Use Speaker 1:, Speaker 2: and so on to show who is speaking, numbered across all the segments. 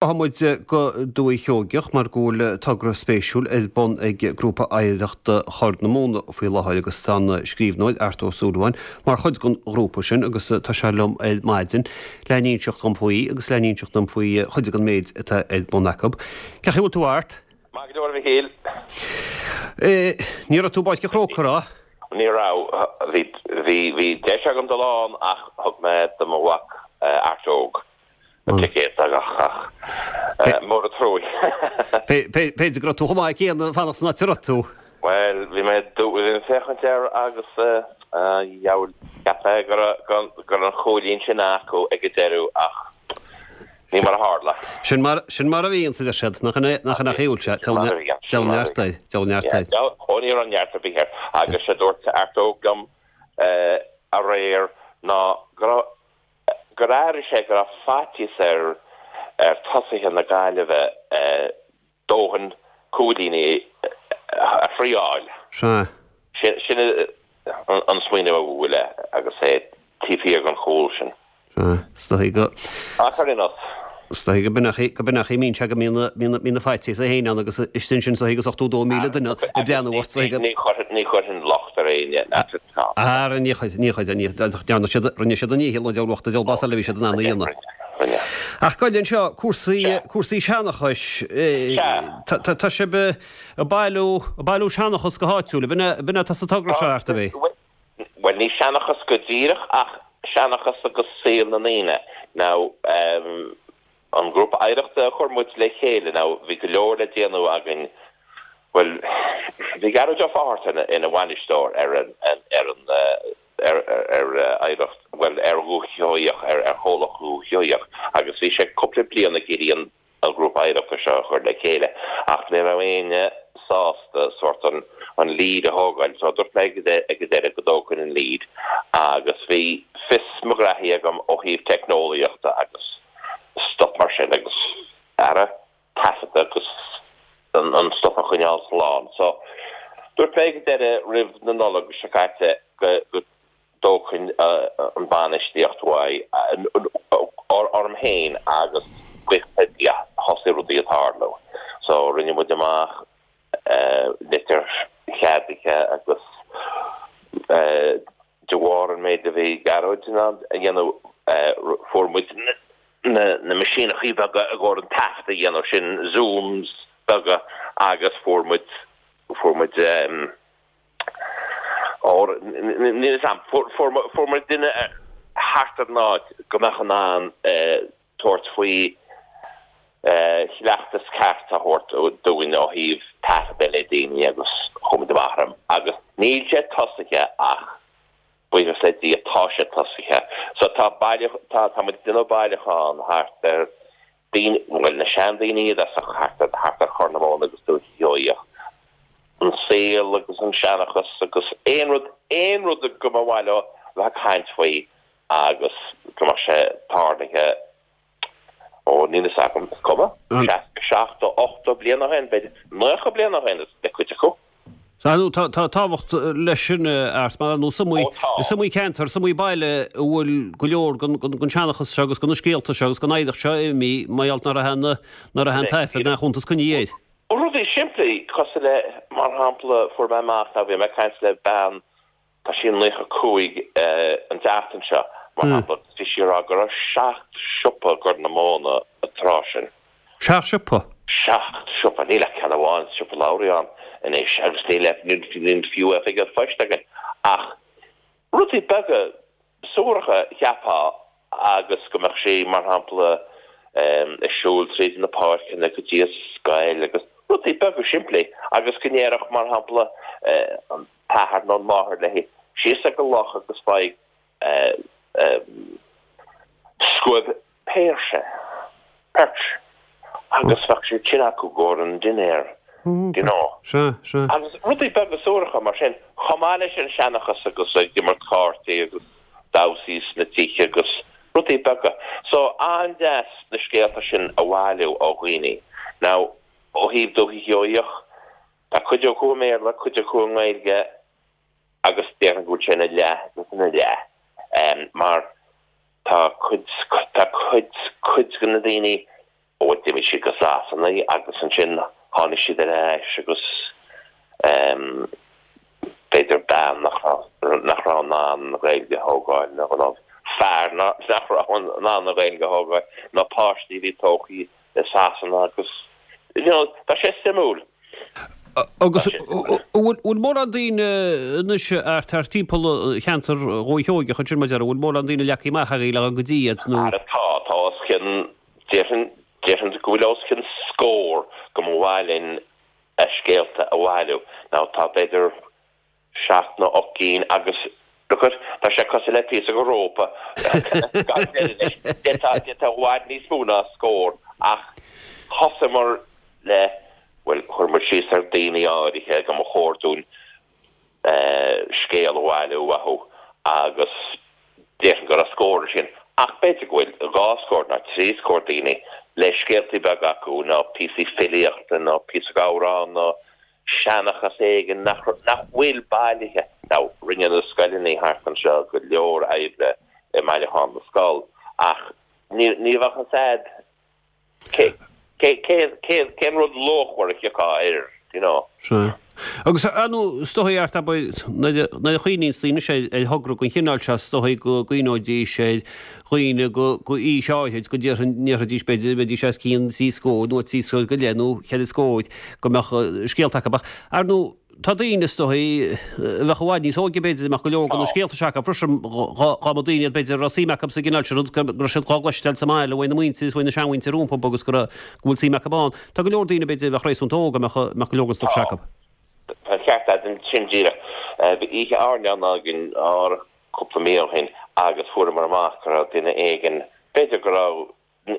Speaker 1: Rachaidh muid go Dúiche Sheoigeach mar go bhfuil togra spéisiúil ar bun ag Grúpa Oidhreachta Chorr na Móna faoi láthair agus tá an scríbhneoir Art Ó Súilleabháin mar chuid den ghrúpa sin agus tá sé liom ar maidin le n-inseacht dom faoi agus le n-inseacht dom faoi chuid den méid atá ar bun acu. Cén chaoi a bhfuil tú Art?
Speaker 2: Maith go leor a Mhichíl.
Speaker 1: Ní raibh tú i bPáirc an Chrócaigh, raibh?
Speaker 2: Ní raibh. Bhí, bhí, bhí deis agam dul ann ach thug mé do mo mhac Art Óg. Na ticéid ach mór an truaí.
Speaker 1: B'fhéidir go raibh tú chomh maith céanna fanacht san áit a raibh tú.
Speaker 2: Bhuel, bhí mé ag féachaint air agus a dheabhail, cheap mé go raibh an chúilín sin acu ag an deireadh ach ní mar a tharla.
Speaker 1: Sin mar, sin mar a bhíonn, a deir siad, nach in é, nach in é a bhfuil sé, deabhal neart air, deabhal neart air.
Speaker 2: Ó ní raibh neart ar bith air agus sé dúirt Art Óg liom aréir ná go raibh gur airigh sé go raibh faitíos ar ar tosaithe na Gaillimhe dóthain cúilíní a thriáil.
Speaker 1: Sea.
Speaker 2: Sin an smaoineamh a bhuail é agus é taobh thiar den chúl sin.
Speaker 1: Sea. Is dóigh go.
Speaker 2: Ach ar aon nós.
Speaker 1: Is dóigh go b'in é go b'in é a mbíonn sé go mbíonn mbíonn na faitíos féin ann agus istigh ansin is dóigh agus 82,000 duine ag breathnú ort is dóigh go.
Speaker 2: Ní chuirfinn locht ar éinne.
Speaker 1: Ara ní chuirfinn, ní chuirfinn, ní dhearna siad, rinne siad a ndícheall an diabhal bocht, an diabhal blas eile a bhí siad in ann a dhéanamh.
Speaker 2: Rinne.
Speaker 1: Ach gabh i leith anseo, cúrsaí, cúrsaí seanchais, tá sibh ag bailiú, ag bailiú seanchas go háitiúil, ab in é, ab in é atá sa togra seo, Art, ab é?
Speaker 2: Bhuel, ní seanchas go díreach ach seanchas agus saol na ndaoine. Now, an grúpa oidhreachta a chuir muid le chéile, now, bhí go leor le déanamh againn, bhuel, bhí Gearóid Ó Fátharta ina bhainisteoir ar an, ar an, ar, ar oidhreacht, bhuel, ar Dhúiche Sheoigheach, ar Chomhlacht Dhúiche Sheoigheach agus bhí sé cúpla bliain ag iarraidh an, an grúpa oidhreachta seo a chur le chéile ach ní raibh éinne sásta sórt an an lead a thógáil so dúirt mé ag an deireadh go dtógfainn an lead agus bhí fios mo ghraithí agam ó thaobh teicneolaíochta agus stuff mar sin agus ara taifeadta agus an an stuff a choinneáil slán so dúirt mé ag an deireadh roimh na Nollag seo caite go go dtógfainn an bainistíocht uaidh, orm féin agus buíochas le Dia thosaigh rudaí ag tarlú. So rinne muid amach litir cheadaithe agus de bharr an méid a bhí Gearóid in ann a dhéanamh fuair muid na meaisíneachaí beaga i gcomhair an taifead a dhéanamh, sin Zooms beaga agus fuair muid fuair muid Ór, níl fhios a'm. Fuair muid duine thart ar an áit go mbeadh in ann tabhairt faoi chleachtas ceart a thabhairt dúinn ó thaobh taifeadadh le daoine agus chuaigh muid amach orm. Agus níl sé tosaithe ach buíochas le Dia tá sé tosaithe. So tá baile, tá, tá muid ag déanamh bailiúchán thart ar daoine, bhuel, na seandaoine iad as thart ar, thart ar Chorr na Móna agus Dúiche Sheoigheach, an saol agus an seanchas agus aon rud, aon rud go mba mhaith leo a bheith ag caint faoi agus go mbeadh sé tarlaithe, ó, níl fhios agam, is cuma, 60, 70, 80 bliain ó shin, b'fhéidir 90 bliain ó shin le cuid acu.
Speaker 1: Sea, nó tá tábhacht leis sin, Art, mar nó is iomaí, is iomaí ceantar, is iomaí baile a bhfuil go leor den seanchas seo agus de na scéalta seo agus den oidhreacht seo imithe mar gheall nach raibh aon, nach raibh aon taifead ná cuntas coinnithe air.
Speaker 2: Rudaí simplí, cosúil le, mar shampla, fuair mé amach, nó bhí mé ag caint le bean, tá sí 95 an tseachtain seo, mar shampla, agus bhí sí ag rá go raibh seacht siopa i gCorr na Móna an tráth sin.
Speaker 1: Seacht siopa?
Speaker 2: Seacht siopa. Níl ach ceann amháin, Siopa Lowry ann anois agus níl níl fiú oifig an phoist againn. Ach rudaí beaga suaracha cheapfá agus go mbeadh sí, mar shampla, ag siúl tríd na páirceanna go dtí an scoil agus rudaí beaga simplí agus go ndéarfadh, mar shampla, an t-athair nó an mháthair léi, síos ag an loch agus faigh scuab péirse, perch, agus bheadh siad sin acu i gcomhair an dinnéir, you know.
Speaker 1: Sea, sea.
Speaker 2: Agus rudaí beaga suaracha mar sin, chomh maith leis an seanchas agus ag imirt cártaí agus damhsaí sna tithe agus rudaí beaga. So, an-deas na scéalta sin a bhailiú ó dhaoine. Now, ó thaobh Dúiche Sheoigheach, tá cuid acu i mBéarla, cuid acu i nGaeilge, agus déarfainn go bhfuil sé ina leath agus ina leath mar tá cuid, tá cuid, cuid de na daoine. Ó, d'imigh siad go Sasana agus ansin tháinig siad ar ais agus ehm b'fhéidir bean nach raibh, nach raibh in ann an Ghaeilge a thógáil nó nó fear nach raibh in ann an Ghaeilge a thógáil nó páistí a bhí tógtha i Sasana agus you know tá sé suimiúil.
Speaker 1: Agus an bhfuil mórán daoine anois thart thart timpeall cheantar Dhúiche Sheoigeach ansin mar a déarfá, an bhfuil mórán daoine leagtha amach agaibh le dhul go dtí iad
Speaker 2: nó? Ara tá, tá os cionn, déarfainn, déarfainn go bhfuil os cionn scór go mba mhaith linn a scéalta a bhailiú. Now tá b'fhéidir seacht nó 8 gcinn agus look at, tá sé cosúil le píosa de rópa gan deireadh leis. D'fhéadfá i bhfad níos mó ná scór ach thosaíomar le, bhuel, chuir muid síos ar daoine áirithe go mba chóir dúinn scéal a bhailiú uathu agus déarfainn go raibh scór ansin ach b'fhéidir go bhfuil dhá scór nó trí scór daoine le scéaltaí beaga acu nó píosaí filíochta nó píosa d'amhrán nó seanchas éigin nach bhfuil bailithe. Now, rinne na scoileanna thart anseo go leor oibre i mbailiúchán na scol, ach ní bheadh fhios a'd cén rud luachmhar a thiocfadh air, do you know.
Speaker 1: Sea. Agus ar ndóigh, is dóigh, Art, abair, nuair a chuimhníonns daoine anois ar thogra den chineál seo, is dóigh go gcuimhneoidís ar dhaoine go aois áithrid, go ndéarfaidís, b'fhéidir, bheidís os cionn trí scór nó trí scór go leith nó cheithre scór, go mbeadh scéalta acu. Ach, ar ndóigh, tá daoine, is dóigh, a bheadh i bhfad níos óige, b'fhéidir, a mbeadh go leor de na scéalta seo acu freisin, dá mba daoine iad, b'fhéidir, a raibh suim acu sa gcineál sin rud, go raibh siad dhá gcloisteáil sa mbaile uaidh na muintir is uaidh na seanmhuintir rompu agus go raibh, go bhfuil suim acu ann. Tá go leor daoine, b'fhéidir, a bheadh réasúnta óg a mbeadh, a mbeadh go leor den stuif seo acu.
Speaker 2: Tá an ceart agat ansin díreach. Bhí oíche airneáin againn cúpla mí ó shin agus fuaireamar amach go raibh duine éigin, b'fhéidir go raibh,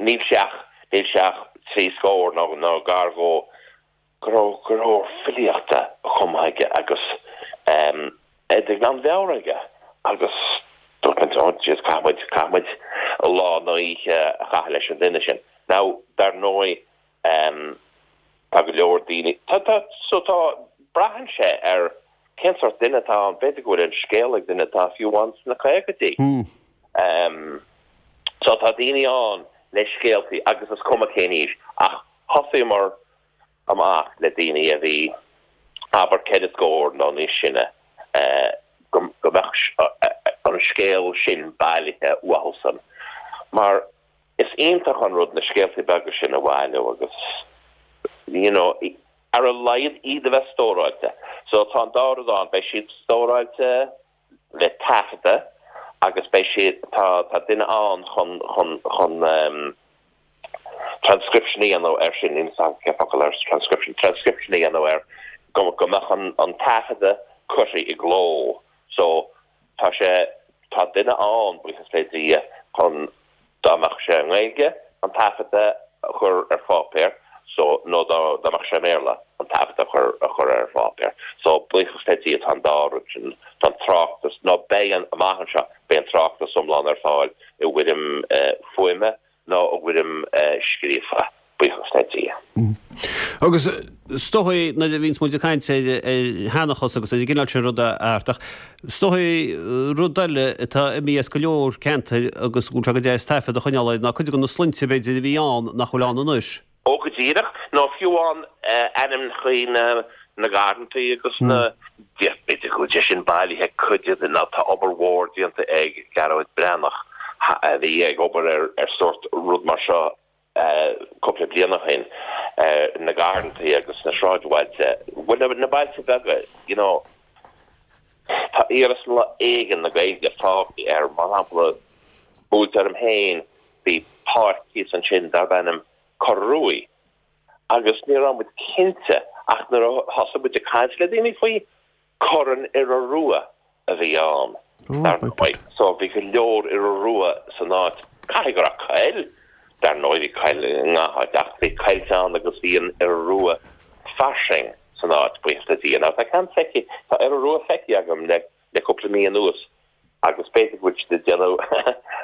Speaker 2: níl sé ach, níl sé ach trí scór nó, nó gar dhó, go raibh go leor filíochta cumtha aige agus é de ghlanmheabhair aige agus dúirt muid, oh jeez, caithfidh muid, caithfidh muid lá nó oíche a chaitheamh leis an duine sin. Now, dar ndóigh, Tá go leor daoine, tá, tá, so tá, braitheann sé ar cén sórt duine atá ann, b'fhéidir go bhfuil an scéal ag duine atá fiú amháin sna caogaidí. So tá daoine ann le scéaltaí agus is cuma cén aois ach thosaíomar amach le daoine a bhí abair ceithre scór nó níos sine go mbeadh an scéal sin bailithe uathusan mar Is iontach an rud na scéaltaí beaga sin a bhailiú agus you know ar a laghad iad a bheith stóráilte. So tá an dá rud ann, beidh siad stóráilte le taifeadadh agus beidh siad, tá, tá duine ann chun, chun, chun ehm transcription a dhéanamh air sin, níl 'fhios a'm cén focal ar transcription, transcription a dhéanamh air go, go mbeadh an, an taifeadadh curtha i gcló. So Tá sé, tá duine ann, buíochas le Dia, chun, dá mbeadh sé i nGaeilge, an taifeadadh a chur ar pháipéar, so, nó dá, dá mbeadh sé i mBéarla, an taifeadadh a chur, a chur ar pháipéar. So, buíochas le Dia, tá an dá rud sin, tá an tráchtas, nó beidh an, amach anseo, beidh an tráchtas iomlán ar fáil i bhfoirm fuaime nó i bhfoirm scríofa, buíochas le Dia.
Speaker 1: Agus is dóigh, nuair a bhíonns muid ag caint ar sheanchas agus ar an gcineál sin ruda, Art, ach is dóigh rud eile atá imithe as go leor ceantair agus go bhfuil sé go deas taifead a choinneáil air ná cuid de na sloinnte b'fhéidir a bhí ann nach bhfuil ann anois.
Speaker 2: Ó go díreach, nó fiú amháin ainmneacha na na ngarrantaí agus na, b'fhéidir go bhfuil sé sin bailithe cuid de, nó tá obair mhór déanta ag Gearóid Breathnach a bhí ag obair ar ar sórt rud mar seo cúpla bliain ó shin, na garrantaí agus na sráidbhailte, bhuel na bailte beaga, you know, tá iarsma éigin na Gaeilge fágtha air, mar shampla, buailte orm féin, bhí páirc thíos ansin darb ainm Corr Ruaidh agus ní raibh muid cinnte ach nuair a thosaigh muid ag caint le daoine faoi, Corr an Iora Rua a bhí ann, dar ndóigh. So bhí go leor iora rua san áit. Caithfidh go raibh coill, dar ndóigh bhí coill i ngach áit ach bhí coillte ann agus bhí an iora rua fairsing san áit, buíochas le Dia. Now tá ceann feicthe, tá iora rua feicthe agam le le cúpla mí anuas agus b'fhéidir go bhfuil siad ag déanamh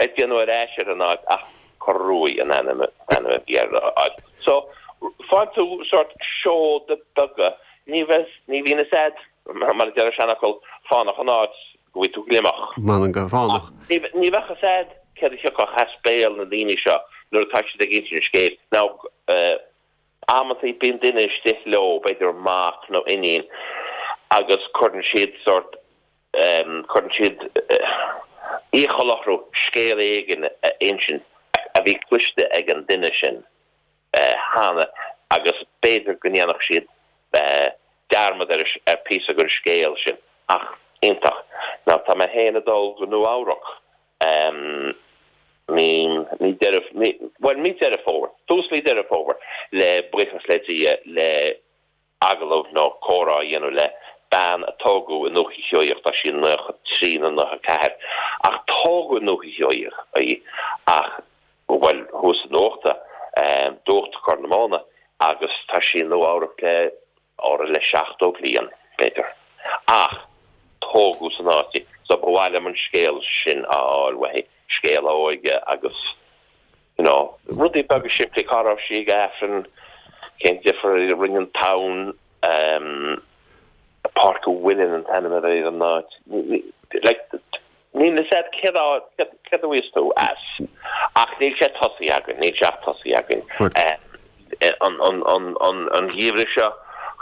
Speaker 2: ag déanamh ar ais ar an áit ach Corr Ruaidh an ainm ainm a bhí ar an áit. So faigheann tú sórt seoda beaga, ní bheas ní bhíonn fhios a'd mar a deir an seanfhocal fánach an áit go bhfaighidh tú gliomach.
Speaker 1: M'anam gur fánach.
Speaker 2: Ní ní bheadh fhios a'd céard a thiocfadh as béal na ndaoine seo. nuair atá siad ag insint an scéil. Now, amantaí bíonn duine istigh leo, b'fhéidir mac nó iníon, agus cuireann siad sórt, cuireann siad iachall orthu scéal éigin a insint a bhí cloiste ag an duine sin cheana agus b'fhéidir go ndéanfadh siad dearmad ar ar píosa den scéal sin. Ach iontach. Now tá mé féin ag dul go Nua Eabhrac mí mí Deireadh bhuel mí Deireadh Fómhair, tús mí Deireadh Fómhair le buíochas le Dia le agallamh nó comhrá a dhéanamh le bean a tógadh i nDúiche Sheoigheach, tá sí 93 nó 94, ach tógadh i nDúiche Sheoigheach í ach, bhuel, thuas i nDuachta, Dumhachta Corr na Móna, agus tá sí i Nua Eabhrac le, corradh le 70 bliain, b'fhéidir. Ach tógadh san áit í, so ba mhaith liom an scéal sin a fháil uaithi, scéal a óige agus. You know, rudaí beaga simplí, cá raibh sí ag Aifreann, cén difear a rinne an tonn, ehm, Páirc an Mhuilinn an t-ainm a bhí ar an áit. Like, níl fhios a'd céard a, céard a bhíos tú as. Ach níl sé tosaithe againn, níl sé ach tosaithe againn. An, an, an, an, an geimhreadh seo,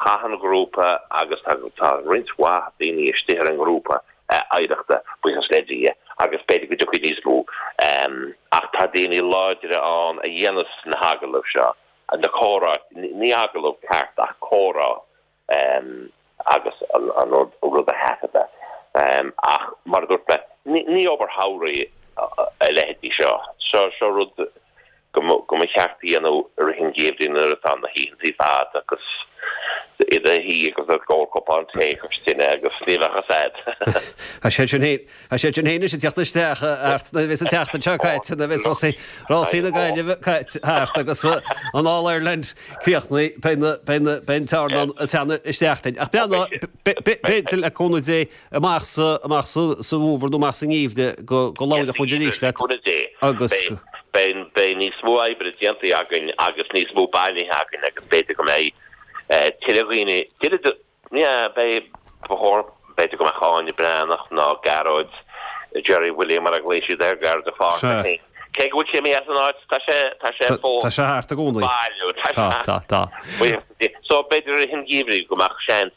Speaker 2: chaith an ghrúpa agus tá, tá roinnt mhaith daoine istigh ar an ngrúpa, oidhreachta, buíochas le Dia, agus b'fhéidir go dtiocfaidh níos mó. Ach tá daoine láidre ann a dhéanas na hagallaimh seo, na comhrá, ní agallamh ceart ach comhrá agus an rud a thaifeadadh. Ach mar a dúirt mé, ní obair shamhraidh a leithéidí seo. Seo rud go mba cheart a dhéanamh i rith an gheimhridh nuair atá na hoícheantaí fada agus i do shuí agus ag ól cupán tae cois tine agus ní bheadh fhios a'd.
Speaker 1: Tá sé sin féin, tá sé sin féin anois ag teacht isteach Art nuair a bheas an tseachtain seo caite, nuair a bheas rásaí, rásaí na Gaillimhe caite thart agus an All Ireland críochnaithe, beidh na, beidh na, beidh an tearnán ag teannadh isteach linn. Ach beannacht, b'fhéidir le cúnamh Dé, amach sa, amach sa, sa bhfómhar nó amach sa ngeimhreadh go, go labhróidh muid arís leat
Speaker 2: agus go. Beidh, beidh níos mó oibre déanta againn agus níos mó bailithe againn agus b'fhéidir go mbeidh tuilleadh dhaoine, tuilleadh, yeah, beidh, ba chóir, b'fhéidir go mbeadh Áine Breathnach nó Gearóid, Gerry William mar a ghlaoigh siad air, Gearóid de Pháirc. Cé go bhfuil sé imithe as an áit, tá sé, tá sé
Speaker 1: fós. Tá sé thart i gcónaí.
Speaker 2: Baile, tá sé. Tá, tá, tá. So b'fhéidir i rith an gheimhridh go mbeadh seans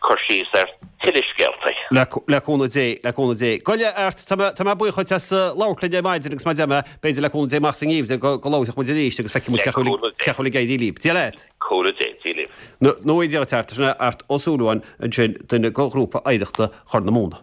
Speaker 2: cur síos ar tuilleadh scéaltaí.
Speaker 1: Le cúnamh Dé, le cúnamh Dé. Gabh i leith, Art, tá mé, tá mé buíoch dhuit as labhairt linn ar maidin agus mar a deir mé, b'fhéidir le cúnamh Dé amach sa ngeimhreadh go, go labharfaidh muid arís agus feicfidh muid cén chaoi a bhfuil, cén chaoi a bhfuil ag éirí libh. Dia leat.
Speaker 2: Cúnamh Dé, Dia libh.
Speaker 1: Nó Dia duit, Art, sin é Art Ó Súilleabháin ansin, duine de ghrúpa oidhreachta Chorr na Móna.